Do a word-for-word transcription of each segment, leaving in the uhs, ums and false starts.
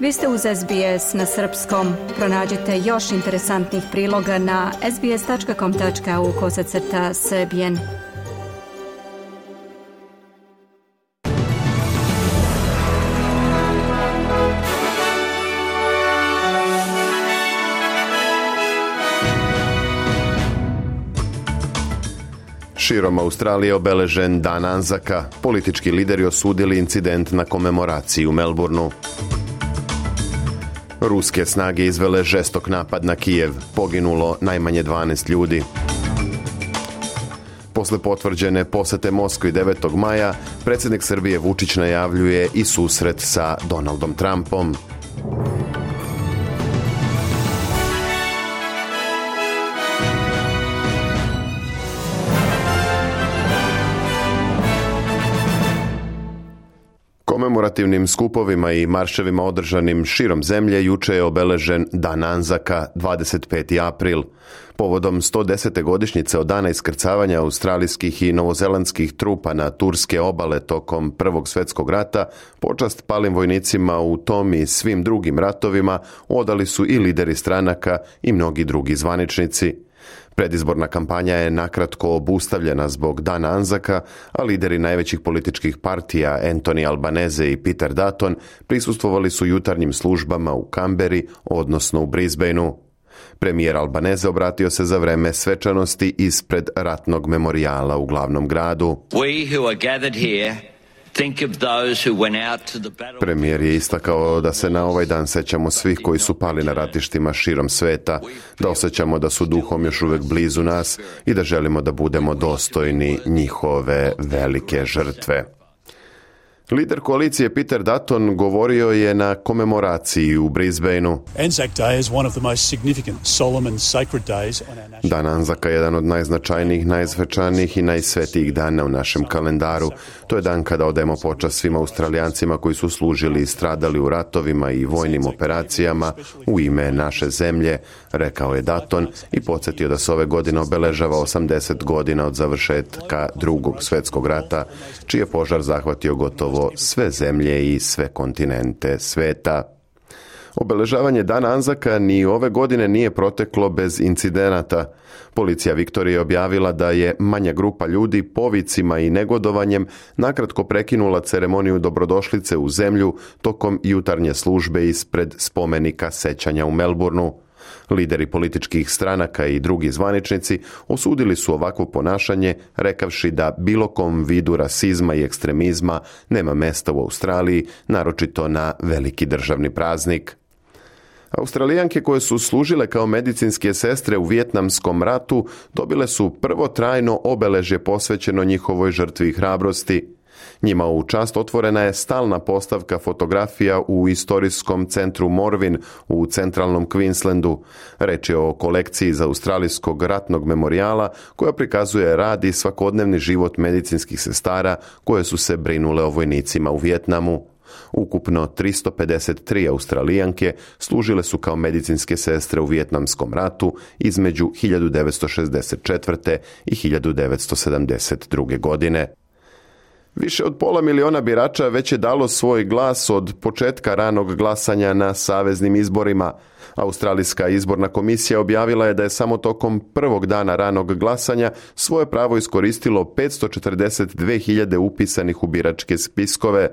Vi ste uz S B S na srpskom. Pronađite još interesantnih priloga na sbs tačka com tačka au kosacrta srbijen. Širom Australije obeležen Dan Anzaka. Politički lideri osudili incident na komemoraciji u Melbourneu. Ruske snage izvele žestok napad na Kijev. Poginulo najmanje dvanaest ljudi. Posle potvrđene posete Moskvi devetog maja, predsjednik Srbije Vučić najavljuje i susret sa Donaldom Trumpom. Komemorativnim skupovima i marševima održanim širom zemlje juče je obeležen Dan Anzaka, dvadeset peti april. Povodom sto desete godišnjice od dana iskrcavanja australijskih i novozelandskih trupa na turske obale tokom Prvog svjetskog rata, počast palim vojnicima u tom i svim drugim ratovima odali su i lideri stranaka i mnogi drugi zvaničnici. Predizborna kampanja je nakratko obustavljena zbog Dana Anzaka, a lideri najvećih političkih partija Anthony Albanese i Peter Dutton prisustvovali su jutarnjim službama u Kamberi, odnosno u Brisbaneu. Premijer Albanese obratio se za vreme svečanosti ispred ratnog memorijala u glavnom gradu. We who are gathered here think of those who went out to the battle. Premijer je istakao da se na ovaj dan sećamo svih koji su pali na ratištima širom sveta, da osjećamo da su duhom još uvijek blizu nas i da želimo da budemo dostojni njihove velike žrtve. Lider koalicije Peter Dutton govorio je na komemoraciji u Brisbaneu. Dan Anzaka je jedan od najznačajnijih, najsvečanijih i najsvetijih dana u našem kalendaru. To je dan kada odajemo počast svim Australijancima koji su služili i stradali u ratovima i vojnim operacijama u ime naše zemlje, rekao je Dutton i podsjetio da se ove godine obeležava osamdeset godina od završetka Drugog svjetskog rata, čiji je požar zahvatio gotovo sve zemlje i sve kontinente sveta. Obeležavanje Dana Anzaka ni ove godine nije proteklo bez incidenata. Policija Viktorije je objavila da je manja grupa ljudi povicima i negodovanjem nakratko prekinula ceremoniju dobrodošlice u zemlju tokom jutarnje službe ispred spomenika sećanja u Melbourneu. Lideri političkih stranaka i drugi zvaničnici osudili su ovakvo ponašanje, rekavši da bilo kom vidu rasizma i ekstremizma nema mesta u Australiji, naročito na veliki državni praznik. Australijanke koje su služile kao medicinske sestre u Vijetnamskom ratu dobile su prvo trajno obeležje posvećeno njihovoj žrtvi i hrabrosti. Njima u čast otvorena je stalna postavka fotografija u istorijskom centru Morvin u centralnom Queenslandu. Reč je o kolekciji iz Australijskog ratnog memorijala koja prikazuje rad i svakodnevni život medicinskih sestara koje su se brinule o vojnicima u Vijetnamu. Ukupno tristo pedeset tri Australijanke služile su kao medicinske sestre u Vijetnamskom ratu između hiljadu devetsto šezdeset četvrte i hiljadu devetsto sedamdeset druge. godine. Više od pola miliona birača već je dalo svoj glas od početka ranog glasanja na saveznim izborima. Australijska izborna komisija objavila je da je samo tokom prvog dana ranog glasanja svoje pravo iskoristilo petsto četrdeset dve hiljade upisanih u biračke spiskove.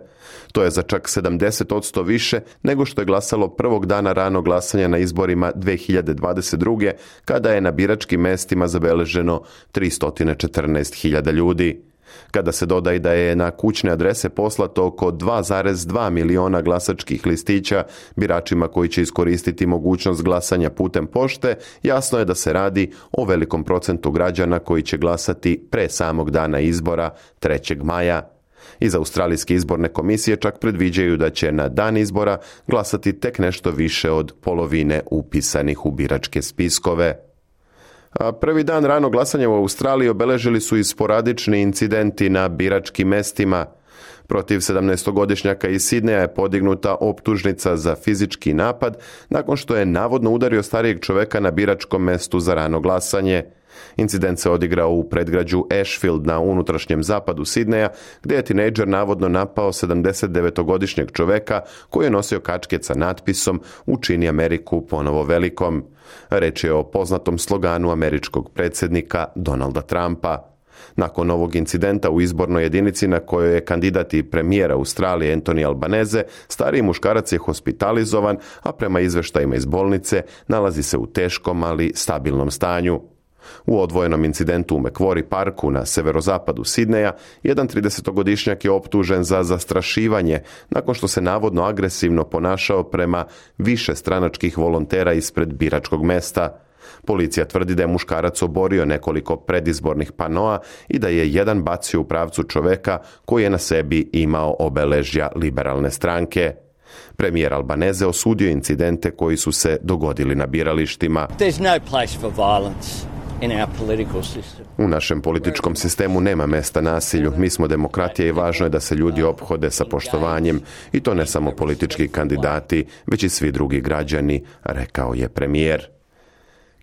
To je za čak sedamdeset posto više nego što je glasalo prvog dana ranog glasanja na izborima dve hiljade dvadeset druge. kada je na biračkim mestima zabeleženo tristo četrnaest hiljada ljudi. Kada se doda i da je na kućne adrese poslato oko dva zarez dva miliona glasačkih listića biračima koji će iskoristiti mogućnost glasanja putem pošte, jasno je da se radi o velikom procentu građana koji će glasati pre samog dana izbora trećeg maja. Iz Australijske izborne komisije čak predviđaju da će na dan izbora glasati tek nešto više od polovine upisanih u biračke spiskove. A prvi dan ranog glasanja u Australiji obeležili su i sporadični incidenti na biračkim mestima. Protiv sedamnaestogodišnjaka iz Sidneja je podignuta optužnica za fizički napad nakon što je navodno udario starijeg čoveka na biračkom mestu za rano glasanje. Incident se odigrao u predgrađu Ashfield na unutrašnjem zapadu Sidneja, gdje je tinejdžer navodno napao sedamdesetdevetogodišnjeg čoveka koji je nosio kačket sa natpisom "Učini Ameriku ponovo velikom". Reč je o poznatom sloganu američkog predsjednika Donalda Trumpa. Nakon ovog incidenta u izbornoj jedinici na kojoj je kandidat i premijer Australije Anthony Albanese, stariji muškarac je hospitalizovan, a prema izveštajima iz bolnice nalazi se u teškom, ali stabilnom stanju. U odvojenom incidentu u Macquarie parku na severozapadu Sidneja, jedan tridesetogodišnjak je optužen za zastrašivanje nakon što se navodno agresivno ponašao prema više stranačkih volontera ispred biračkog mesta. Policija tvrdi da je muškarac oborio nekoliko predizbornih panoa i da je jedan bacio u pravcu čoveka koji je na sebi imao obeležja liberalne stranke. Premijer Albanese osudio incidente koji su se dogodili na biralištima. There's no place for violence. U našem političkom sistemu nema mesta nasilju. Mi smo demokratija i važno je da se ljudi ophode sa poštovanjem, i to ne samo politički kandidati, već i svi drugi građani, rekao je premijer.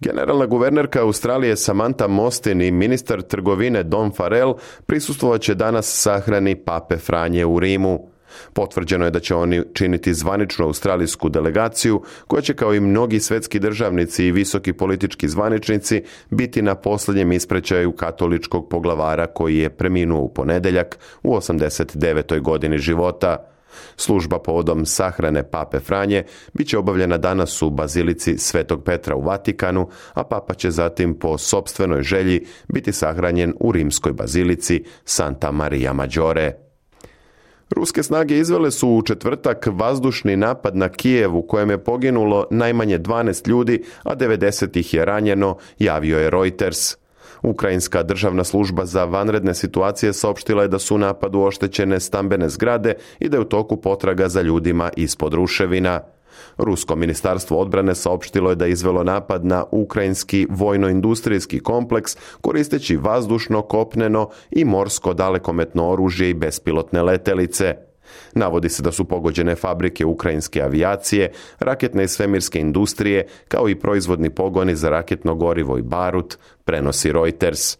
Generalna guvernerka Australije Samantha Mostyn i ministar trgovine Don Farrell prisustvovat će danas sahrani Pape Franje u Rimu. Potvrđeno je da će oni činiti zvaničnu australijsku delegaciju koja će, kao i mnogi svetski državnici i visoki politički zvaničnici, biti na posljednjem ispraćaju katoličkog poglavara koji je preminuo u ponedjeljak u osamdeset devetoj godini života. Služba povodom sahrane Pape Franje bit će obavljena danas u bazilici Svetog Petra u Vatikanu, a papa će zatim po sopstvenoj želji biti sahranjen u rimskoj bazilici Santa Maria Maggiore. Ruske snage izvele su u četvrtak vazdušni napad na Kijev u kojem je poginulo najmanje dvanaest ljudi, a devedeset ih je ranjeno, javio je Reuters. Ukrajinska državna služba za vanredne situacije saopštila je da su u napadu oštećene stambene zgrade i da je u toku potraga za ljudima ispod ruševina. Rusko ministarstvo odbrane saopštilo je da je izvelo napad na ukrajinski vojno-industrijski kompleks koristeći vazdušno, kopneno i morsko dalekometno oružje i bespilotne letelice. Navodi se da su pogođene fabrike ukrajinske avijacije, raketne i svemirske industrije, kao i proizvodni pogoni za raketno gorivo i barut, prenosi Reuters.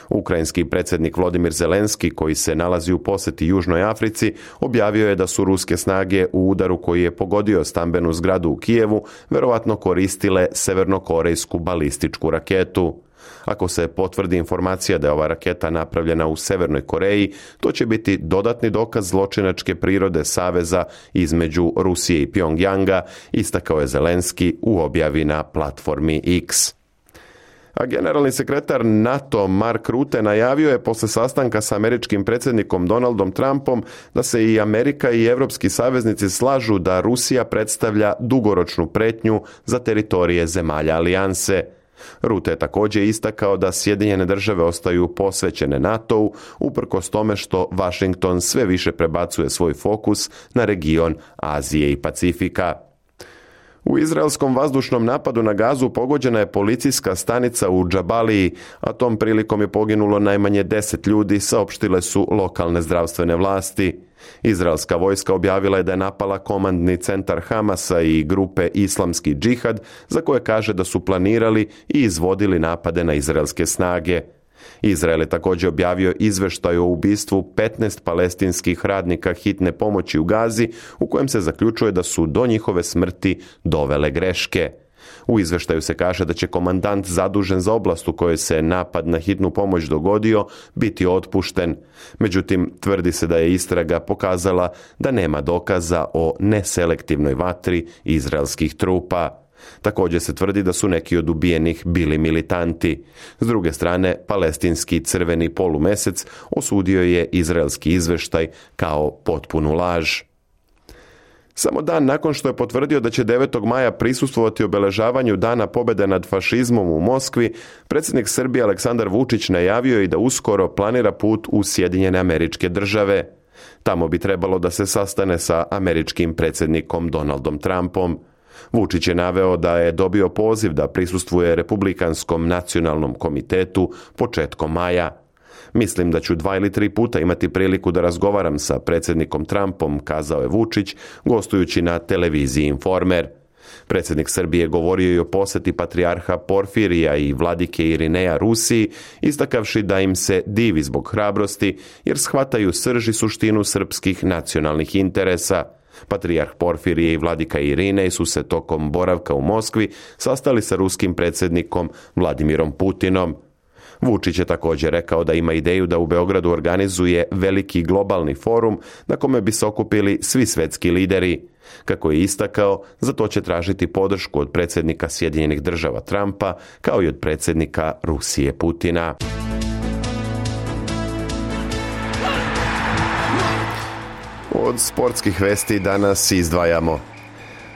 Ukrajinski predsjednik Volodymyr Zelenski, koji se nalazi u posjeti Južnoj Africi, objavio je da su ruske snage u udaru koji je pogodio stambenu zgradu u Kijevu verovatno koristile severnokorejsku balističku raketu. Ako se potvrdi informacija da je ova raketa napravljena u Severnoj Koreji, to će biti dodatni dokaz zločinačke prirode saveza između Rusije i Pjongjanga, istakao je Zelenski u objavi na platformi X. A generalni sekretar NATO Mark Rutte najavio je posle sastanka sa američkim predsjednikom Donaldom Trumpom da se i Amerika i evropski saveznici slažu da Rusija predstavlja dugoročnu pretnju za teritorije zemalja alijanse. Rutte je također istakao da Sjedinjene države ostaju posvećene NATO-u, uprkos tome što Washington sve više prebacuje svoj fokus na region Azije i Pacifika. U izraelskom vazdušnom napadu na Gazu pogođena je policijska stanica u Džabaliji, a tom prilikom je poginulo najmanje deset ljudi, saopštile su lokalne zdravstvene vlasti. Izraelska vojska objavila je da je napala komandni centar Hamasa i grupe Islamski džihad, za koje kaže da su planirali i izvodili napade na izraelske snage. Izrael je također objavio izveštaj o ubistvu petnaest palestinskih radnika hitne pomoći u Gazi, u kojem se zaključuje da su do njihove smrti dovele greške. U izveštaju se kaže da će komandant zadužen za oblast u kojoj se napad na hitnu pomoć dogodio biti otpušten. Međutim, tvrdi se da je istraga pokazala da nema dokaza o neselektivnoj vatri izraelskih trupa. Također se tvrdi da su neki od ubijenih bili militanti. S druge strane, palestinski crveni polumesec osudio je izraelski izveštaj kao potpunu laž. Samo dan nakon što je potvrdio da će devetog maja prisustvovati obeležavanju Dana pobjede nad fašizmom u Moskvi, predsjednik Srbije Aleksandar Vučić najavio je da uskoro planira put u Sjedinjene Američke Države. Tamo bi trebalo da se sastane sa američkim predsjednikom Donaldom Trumpom. Vučić je naveo da je dobio poziv da prisustvuje Republikanskom nacionalnom komitetu početkom maja. Mislim da ću dva ili tri puta imati priliku da razgovaram sa predsjednikom Trumpom, kazao je Vučić, gostujući na televiziji Informer. Predsjednik Srbije govorio i o posjeti patrijarha Porfirija i vladike Irineja Rusiji, istakavši da im se divi zbog hrabrosti jer shvataju srž i suštinu srpskih nacionalnih interesa. Patrijarh Porfirije i vladika Irinej su se tokom boravka u Moskvi sastali sa ruskim predsjednikom Vladimirom Putinom. Vučić je također rekao da ima ideju da u Beogradu organizuje veliki globalni forum na kome bi se okupili svi svetski lideri. Kako je istakao, za to će tražiti podršku od predsjednika Sjedinjenih Država Trumpa kao i od predsjednika Rusije Putina. Od sportskih vesti danas izdvajamo.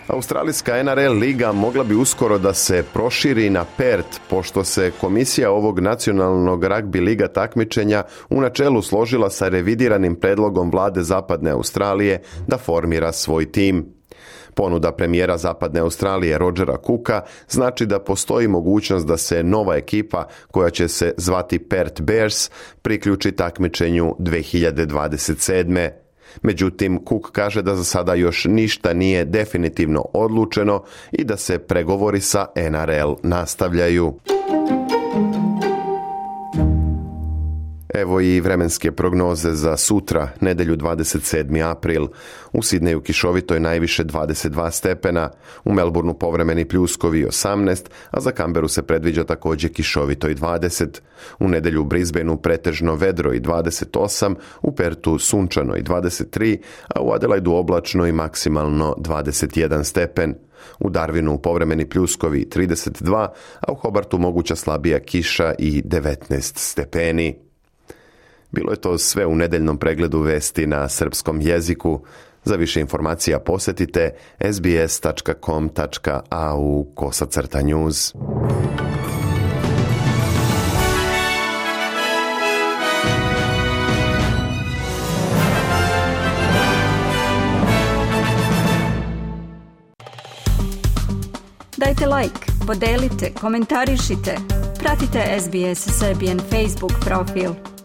Australijska N R L liga mogla bi uskoro da se proširi na Perth, pošto se komisija ovog nacionalnog ragbi liga takmičenja u načelu složila sa revidiranim predlogom vlade Zapadne Australije da formira svoj tim. Ponuda premijera Zapadne Australije Rogera Cooka znači da postoji mogućnost da se nova ekipa, koja će se zvati Perth Bears, priključi takmičenju dve hiljade dvadeset sedme. Međutim, Cook kaže da za sada još ništa nije definitivno odlučeno i da se pregovori sa N R L nastavljaju. Evo i vremenske prognoze za sutra, nedjelju dvadeset sedmi april. U Sidneju kišovito je najviše dvadeset dva stepena, u Melbourneu povremeni pljuskovi osamnaest, a za Canberu se predviđa također kišovito i dvadeset. U nedjelju u Brisbaneu pretežno vedro i dvadeset osam, u Pertu sunčano i dvadeset tri, a u Adelaidu oblačno i maksimalno dvadeset jedan stepen. U Darwinu povremeni pljuskovi trideset dva, a u Hobartu moguća slabija kiša i devetnaest stepeni. Bilo je to sve u nedeljnom pregledu vesti na srpskom jeziku. Za više informacija posjetite s b s tačka com tačka a u kosacrta news. Dajte like, podelite, komentarišite. Pratite S B S Serbian Facebook profil.